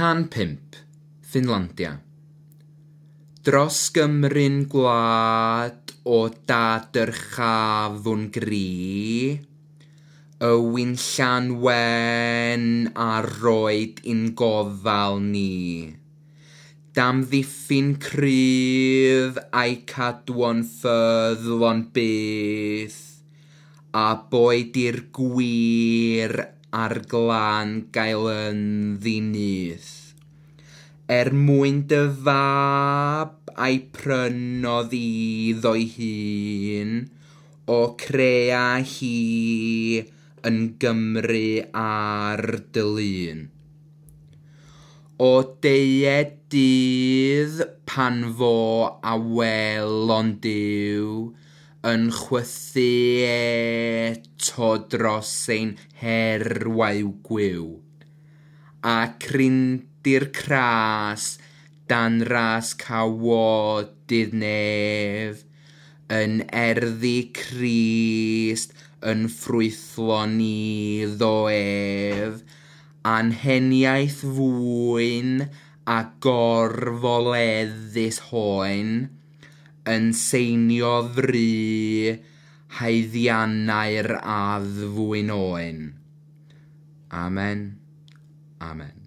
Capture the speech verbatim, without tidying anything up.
Cân pump, Ffinlandia. Dros Gymru'n gwlad o dad-dyrchafwn gri, y winllan wen a roed i'n gofal ni. Damddiffyn cryf a'i cadwo'n ffyddlon byth, a boed i'r gwir a'r glân gael ynddi nyth. Er mwyn dy fab a'i prynodd iddo'i hun, o crea hi yn Gymru ar dy lun. O deued dydd pan fo awelon Duw yn chwythu eto dros ein herwau gwiw, a crindi'r cras dan ras cawodydd nef, yn erddi Crist yn ffrwythlon iddo ef, anheniaeth fwyn a gorfoleddus hoen, yn seinio fru haeddiannau'r addfwyn oen. Amen. Amen.